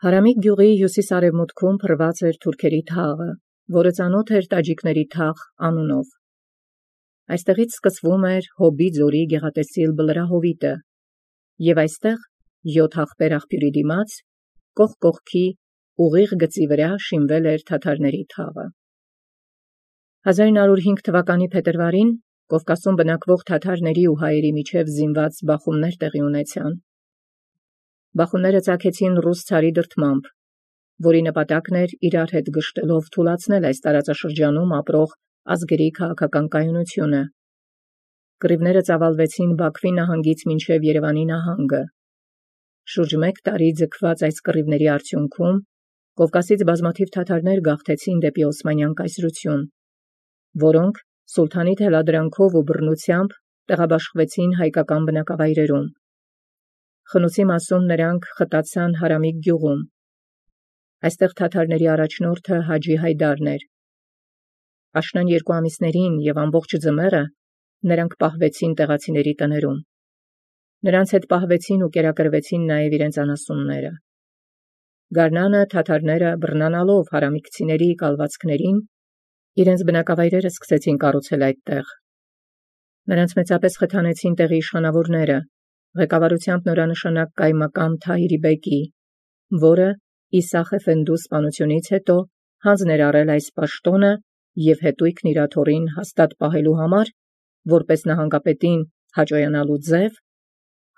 Հարամիկ գյուղի հյուսիսարևմուտքում փռված էր թուրքերի թաղը, որը ծանոթ էր տաջիկների թաղ անունով։ Այստեղից սկսվում էր Հոբի ձորի գեղատեսիլ բլրահովիտը, և այստեղ 7 աղբեր աղբյուրի դիմաց, կողք կողքի ուղիղ գծի վրա շինվել էր թաթարների թաղը։ 1905 թվականի փետրվարին Կովկասում բնակվող թաթարների ու հայերի միջև զինված բախումներ տեղի ունեցան։ Բախումները ծագեցին ռուս ցարի դրդմամբ, որի նպատակն էր իրար հետ գշտելով թուլացնել այս տարածաշրջանում ապրող ազգերի քաղաքական կայունությունը։ Կռիվները ծավալվեցին Բաքվի նահանգից մինչև Երևանի նահանգը։ Շուրջ 1 տարի ձգված այս կռիվների արդյունքում Կովկասից բազմաթիվ թաթարներ գաղթեցին դեպի Օսմանյան կայսրություն, որոնք սուլթանի թելադրանքով ու բռնությամբ տեղաբաշխվեցին հայկական բնակավայրերում։ Խնուցի մասում նրանք խտացան Հարամիկ գյուղում։ Այստեղ թաթարների առաջնորդը Հաջի Հայդարն էր։ Աշնան 2 ամիսներին և ամբողջ ձմեռը նրանք պահվեցին տեղացիների տներում։ Նրանց հետ պահվեցին ու կերակրվեցին նաև իրենց անասունները։ Գարնանը թաթարները բռնանալով հարամիկցիների կալվածքներին, իրենց բնակավայրերը սկսեցին կառուցել այդտեղ։ Նրանց մեծապես խթանեցին տեղի իշխանավորները, ղեկավարությամբ նորանշանակ կայմակամ Թահիրի բեկի, որը Իսախ Էֆենդու սպանությունից հետո հանձն էր առել այս պաշտոնը և հետույքն իր աթոռին հաստատ պահելու համար, որպես նահանգապետին հաճոյանալու ձև,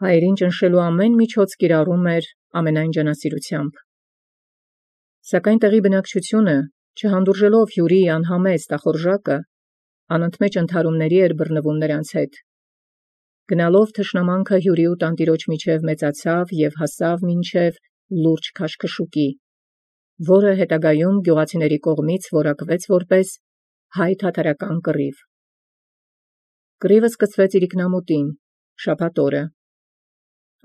հայերին ճնշելու ամեն միջոց կիրառում էր ամենայն ջանասիրությամբ։ Սակայն տեղի բնակչությունը, չհանդուրժելով հյուրի անհամեստ ախորժակը, անընդմեջ ընդհարումների էր բռնվում նրանց հետ։ Գնալով թշնամանքը հյուրի ու տանտիրոջ միջև մեծացավ և հասավ մինչև լուրջ քաշքշուկի, որը հետագայում գյուղացիների կողմից որակվեց որպես հայ-թաթարական կռիվ։ Կռիվը սկսվեց իրիկնամուտին, շաբաթ օրը։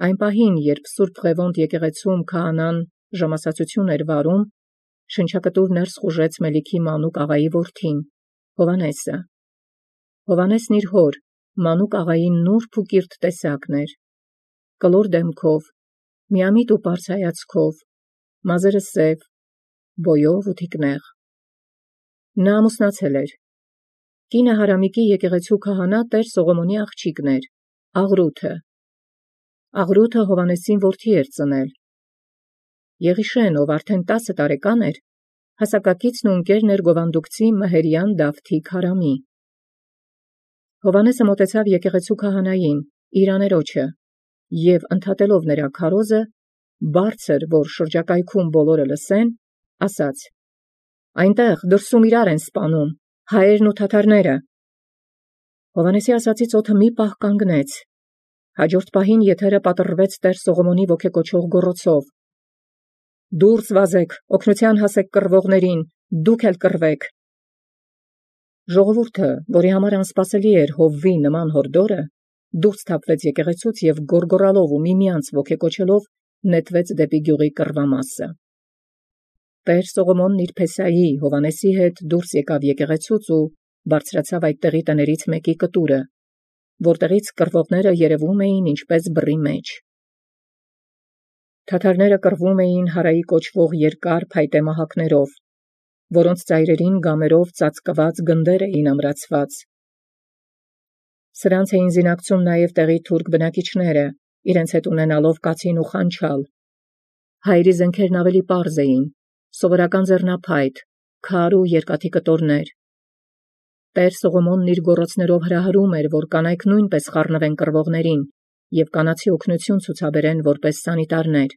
Այն պահին, երբ Սուրբ Ղևոնդ եկեղեցում քահանան ժամասացություն էր վարում, շնչակտուր ներս խուժեց Մելիքի մանուկ աղայի որդին, Հովհաննեսը։ Հովհաննեսն իր հոր, մանուկ աղայի նուրբ ու կիրթ տեսակն էր, կլոր դեմքով, միամիտ ու պարզ հայացքով, մազերը սև, բոյով ու թիկնեղ։ Նա ամուսնացել էր։ Կինը Հարամիկի եկեղեցու քահանա Տեր Սողոմոնի աղջիկն էր, Աղրութը։ Աղրութը Հովհաննեսին որդի էր ծնել։ Եղիշեն, ով արդեն 10 տարեկան էր, հասակակիցն ու ընկերն էր գովանդուկցի Մհերյան Դավթի քարամի։ Հովհաննեսը մոտեցավ եկեղեցու քահանային, իր աներոջը, և ընդհատելով նրա քարոզը, բարձր, որ շրջակայքում բոլորը լսեն, ասաց. «Այնտեղ դրսում իրար են սպանում, հայերն ու թաթարները»։ Հովհաննեսի ասածից օդը մի պահ կանգնեց։ Հաջորդ պահին եթերը պատռվեց Տեր Սողոմոնի ոգեկոչող գոռոցով. «Դուրս վազեք, օգնության հասեք կռվողներին, դուք էլ կռվեք»։ Ժողովուրդը, որի համար անսպասելի էր հովվի նման հորդորը, դուրս թափվեց եկեղեցուց և գոռգոռալով ու միմյանց ոգեկոչելով նետվեց դեպի գյուղի կռվամասը։ Տեր Սողոմոնն իր փեսայի Հովհաննեսի հետ դուրս եկավ եկեղեցուց ու բարձրացավ այդտեղի տներից մեկի կտուրը, որտեղից կռվողները երևում էին ինչպես բռի մեջ։ Թաթարները կռվում էին հարայի կոչվող երկար փայտե մահակներով, որոնց ծայրերին գամերով ծածկված գնդեր էին ամրացված։ Սրանց էին զինակցում նաև տեղի թուրք բնակիչները, իրենց հետ ունենալով կացին ու խանչալ։ Հայերի զենքերն ավելի պարզ էին, սովորական ձեռնափայտ, քար ու երկաթի կտորներ։ Տեր Սողոմոնն իր գոռոցներով հրահրում էր, որ կանայք նույնպես խառնվեն կռվողներին և կանացի օգնություն ցուցաբերեն որպես սանիտարներ։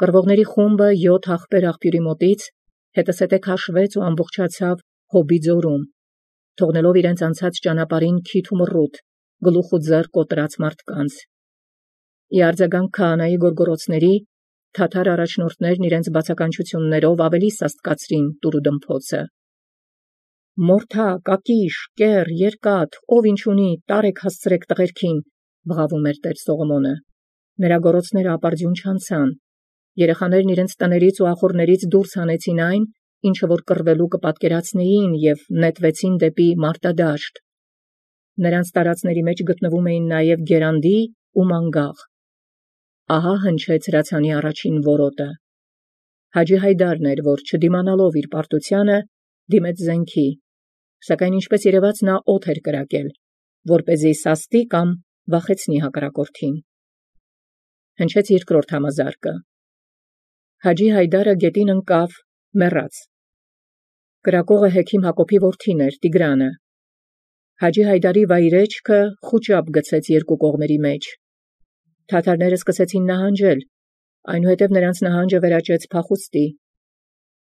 Կռվողների խումբը 7 աղբեր աղբյուրի մոտից հետզհետե քաշվեց ու ամբողջացավ Հոբի ձորում, թողնելով իրենց անցած ճանապարհին քիթ ու մռութ, գլուխ ու ձեռ կոտրած մարդկանց։ Ի արձագանք քահանայի գոռգոռոցների, թաթար առաջնորդներն իրենց բացականչություններով ավելի սաստկացրին տուրուդմփոցը։ «Մորթա, կակիշ, կեռ, երկաթ, ով ինչ ունի, տարեք հասցրեք տղերքին», բղավում էր Տեր Սողոմոնը։ Նրա գոռոցները ապարդյուն չանցան։ Երեխաներն իրենց տներից ու ախոռներից դուրս հանեցին այն, ինչը որ կռվելու կպատկերացնեին, և նետվեցին դեպի մարտադաշտ։ Նրանց տարածների մեջ գտնվում էին նաև գերանդի ու մանգաղ։ Ահա հնչեց հրացանի առաջին որոտը։ Հաջի Հայդարն էր, որ չդիմանալով իր պարտությանը, դիմեց զենքի, սակայն ինչպես երևաց նա օդ էր կրակել, որպեսզի սաստի կամ վախեցնի հակառակորդին։ Հնչեց երկրորդ համազարկը։ Հաջի Հայդարը գետին ընկավ, մեռած։ Կրակողը Հեքիմ Հակոբի որդին էր, Տիգրանը։ Հաջի Հայդարի վայրեջքը խուճապ գցեց երկու կողմերի մեջ։ Թաթարները սկսեցին նահանջել, այնուհետև նրանց նահանջը վերաճեց փախուստի։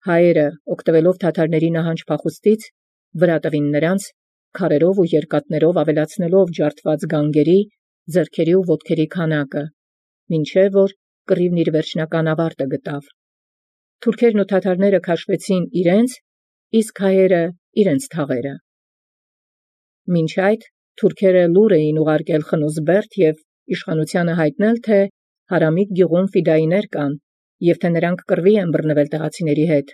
Հայերը, օգտվելով թաթարների նահանջ փախուստից, վրա տվին նրանց, քարերով ու երկաթներով ավելացնելով ջարդված գանգերի, ձեռքերի ու ոտքերի քանակը, մինչև որ կռիվն իր վերջնական ավարտը գտավ։ Թուրքերն ու թաթարները քաշվեցին իրենց, իսկ հայերը իրենց թաղերը։ Մինչ այդ թուրքերը լուր էին ուղարկել Խնուզբերդ և իշխանությանը հայտնել, թե Հարամիկ գյուղում ֆիդայիներ կան, և թե նրանք կռվի են բռնվել տեղացիների հետ։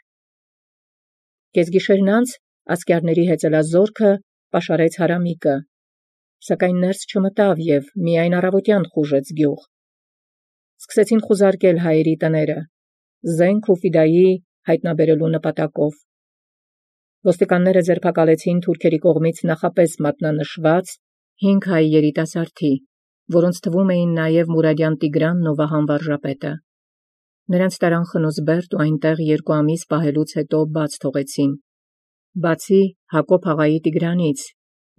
Կեսգիշերն անց ասկյարների հեծելազորքը պաշարեց Հարամիկը, սակայն ներս չմտավ և միայն առավոտյան խուժեց գյուղ։ Սկսեցին խուզարկել հայերի տները, զենք ու ֆիդայի հայտնաբերելու նպատակով։ Ոստիկանները ձերբակալեցին թուրքերի կողմից նախապես մատնանշված 5 հայ երիտասարդի, որոնց թվում էին նաև Մուրադյան Տիգրանն ու Վահան վարժապետը։ Նրանց տարան Խնուզբերդ ու այնտեղ 2 ամիս պահելուց հետո բաց թողեցին, բացի Հակոբ աղայի Տիգրանից,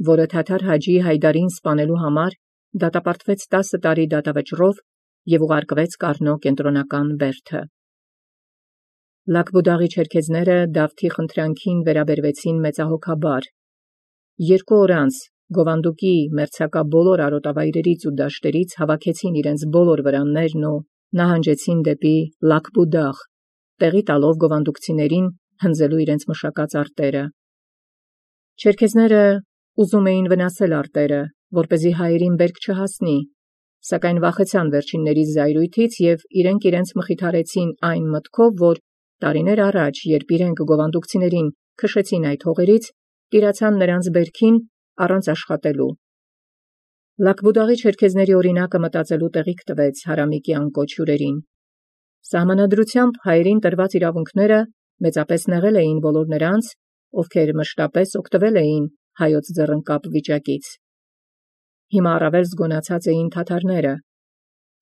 որը թաթար Հաջի Հայդարին սպանելու համար դատապարտվեց 10 տարի դատավճռով և ուղարկվեց Կառնո կենտրոնական բերդը։ Լաքբուդաղի չերքեզները Դավթի խնդրանքին վերաբերվեցին մեծահոգաբար։ 2 օր անց Գովանդուկի մերձակա բոլոր արոտավայրերից ու դաշտերից հավաքեցին իրենց բոլոր վրաններն ու նահանջեցին դեպի Լաքբուդաղ, տեղի տալով գովանդուկցիներին հնձելու իրենց մշակած արտերը։ Չերքեզները ուզում էին վնասել արտերը, որպեսզի հայերին բերք չհասնի, սակայն վախեցան վերջինների զայրույթից և իրենց մխիթարեցին այն մտքով, որ տարիներ առաջ, երբ իրենք գովանդուկցիներին քշեցին այդ հողերից, տիրացան նրանց բերքին առանց աշխատելու։ Լաքբուդաղի չերքեզների օրինակը մտածելու տեղիք տվեց Հարամիկի անկոչ հյուրերին։ Սահմանադրությամբ հայերին տրված իրավունքները մեծապես նեղել էին բոլոր նրանց, ովքեր մշտապես օգտվել էին հայոց ձեռնկապ վիճակից։ Հիմա առավել զգոնացած էին թաթարները,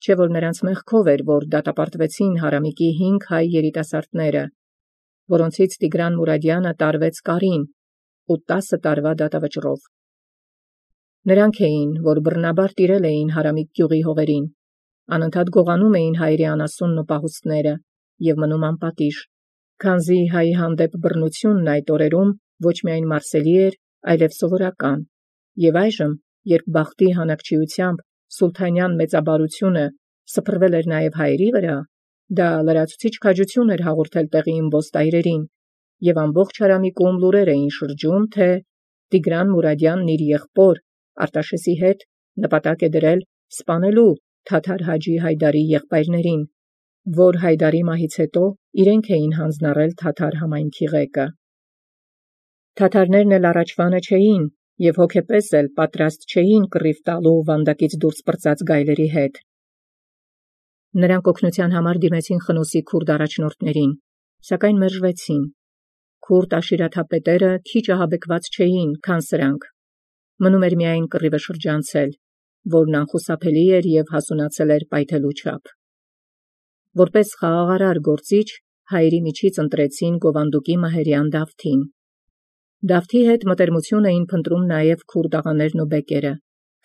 չէ՞ որ նրանց մեղքով էր, որ դատապարտվեցին Հարամիկի 5 հայ երիտասարդները, որոնցից Տիգրան Մուրադյանը տարվեց կարին ու 10 տարվա դատավճռով։ Նրանք էին, որ բռնաբար տիրել էին Հարամիկ գյուղի հողերին, անընդհատ գողանում էին հայերի անասունն ու պահուստները և մնում անպատիժ, քանզի հայի հանդեպ բռնությունն այդ օրերում ոչ միայն մարսելի էր, այլև սովորական, և այժմ, երբ բախտի հանակչիությամբ սուլթանյան մեծաբարությունը սփռվել էր նաև հայերի վրա, դա լրացուցիչ քաջություն էր հաղորդել տեղի իմբոստայրերին, և ամբողջ Հարամիկում լուրեր էին շրջում, թե Տիգրան Մուրադյանն իր եղբոր Արտաշեսի հետ նպատակ է դրել սպանելու թաթար Հաջի Հայդարի եղբայրներին, որ Հայդարի մահից հետո իրենք էին հանձնառել թաթար համայնքի ղեկը։ Թաթարներն էլ առաջվանը չէին և հոգեպես էլ պատրաստ չէին կռիվ տալու վանդակից դուրս պրծած գայլերի հետ։ Նրանք օգնության համար դիմեցին Խնոսի քուրդ առաջնորդներին, սակայն մերժվեցին։ Քուրդ աշիրաթափետերը քիչ ահաբեկված չէին, քան սրանք։ Մնում էր միայն կռիվը շրջանցել, որն անխուսափելի էր և հասունացել էր պայթելու չափ։ Որպես խաղաղարար գործիչ հայերի միջից ընտրեցին Գովանդուկի մահերյան Դավթին։ Դավթի հետ մտերմություն էին փնտրում նաև քուրդ աղաներն ու բեկերը,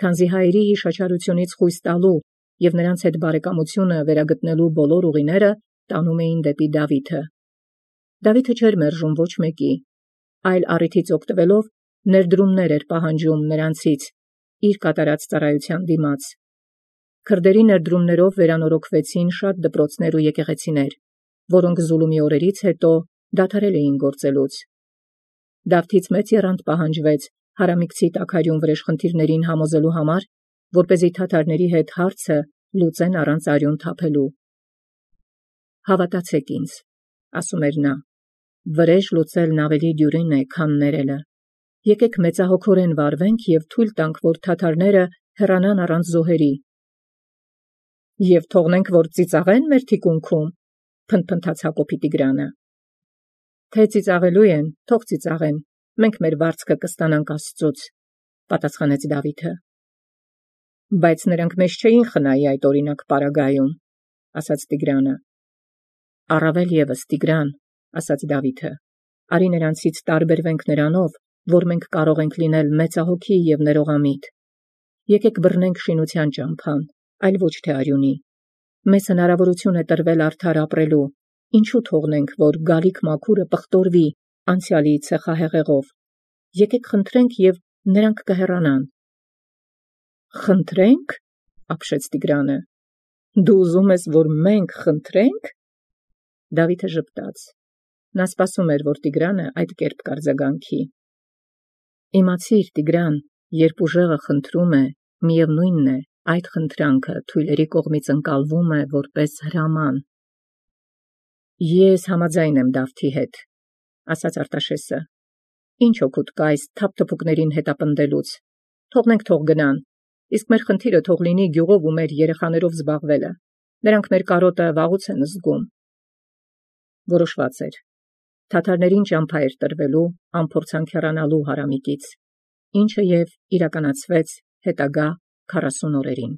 քանզի հայերի հիշաչարությունից խույս տալու և նրանց հետ բարեկամությունը վերագտնելու բոլոր ուղիները տանում էին դեպի Դավիթը։ Դավիթը չէր մերժում ոչ մեկի, այլ առիթից օգտվելով ներդրումներ էր պահանջում նրանցից իր կատարած ծառայության դիմաց։ Քրդերի ներդրումներով վերանորոգվեցին շատ դպրոցներ ու եկեղեցիներ, որոնք Զուլումի օրերից հետո դադարել էին գործելուց։ Դավթից մեծ եռանդ պահանջվեց հարամիկցի տաքարյուն վրեժխնդիրներին համոզելու համար, որպեսզի թաթարների հետ հարցը լուծեն առանց արյուն թափելու։ «Հավատացեք ինձ», ասում էր նա, «վրեժ լուծելն ավելի դյուրին է, քան ներելը։ Եկեք մեծահոգորեն վարվենք և թույլ տանք, որ թաթարները հեռանան առանց զոհերի։ Եվ թողնենք, որ ծիծաղեն մեր թիկունքում, փնթփնթաց Հակոբի Տիգրանը։ Թե ծիծաղելու են, թող ծիծաղեն, մենք մեր վարձքը կստանանք Աստծուց, պատասխանեց Դավիթը։ Բայց նրանք մեզ չէին խնայի այդ օրինակ պարագայում, ասաց Տիգրանը։ Առավել ևս, Տիգրան, ասաց Դավիթը, արի նրանցից տարբերվենք նրանով, որ մենք կարող ենք լինել մեծահոգի և ներողամիտ։ Եկեք բռնենք շինության ճամփան, այլ ոչ թե արյունի։ Մեզ հնարավորություն է տրվել արդար ապրելու, ինչու թողնենք, որ գալիք մաքուրը պղտորվի անցյալի ցեխահեղեղով։ Եկեք խնդրենք և նրանք կհեռանան։ Խնդրենք, ապշեց Տիգրանը։ Դու ուզում ես, որ մենք խնդրենք։ Դավիթը ժպտաց։ Նա սպասում էր, որ Տիգրանը այդ կերպ կարձագանքի։ Իմացիր, Տիգրան, երբ ուժեղը խնդրում է, միևնույնն է, այդ խնդրանքը թույլերի կողմից ընկալվում է որպես հրաման։ Ես համաձայն եմ Դավթի հետ, ասաց Արտաշեսը։ Ինչ օգուտ կա այս թափթփուկներին հետապնդելուց։ Թողնենք թող գնան, իսկ մեր խնդիրը թող լինի գյուղով ու մեր երեխաներով զբաղվելը։ Նրանք մեր կարոտը վաղուց են զգում։ Որոշված էր։ Թաթարներին ճամփա էր տրվելու անփորձանք հեռանալու հարամիկից, ինչը և իրականացվեց հետագա 40 օրերին։